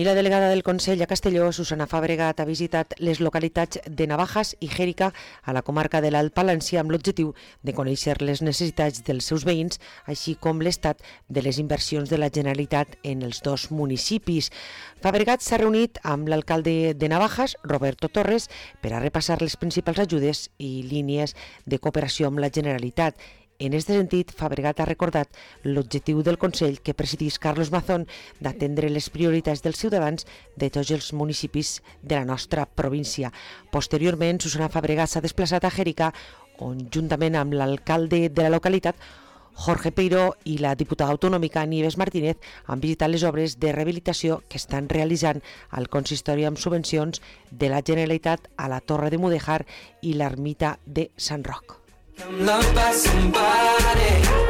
I la delegada del Consell a Castelló, Susana Fabregat, ha visitat les localitats de Navajas i Xèrica a la comarca de l'Alt Palància amb l'objectiu de conèixer les necessitats dels seus veïns, així com l'estat de les inversions de la Generalitat en els dos municipis. Fabregat s'ha reunit amb l'alcalde de Navajas, Roberto Torres, per a repassar les principals ajudes i línies de cooperació amb la Generalitat. En aquest sentit, Fabregat ha recordat l'objectiu del Consell que presidís Carlos Mazón d'atendre les prioritats dels ciutadans de tots els municipis de la nostra província. Posteriorment, Susana Fabregat s'ha desplaçat a Xèrica, on juntament amb l'alcalde de la localitat, Jorge Peiró, i la diputada autonòmica Nieves Martínez han visitat les obres de rehabilitació que estan realitzant al consistori amb subvencions de la Generalitat a la Torre de Mudèjar i l'ermita de Sant Roc. I'm loved by somebody.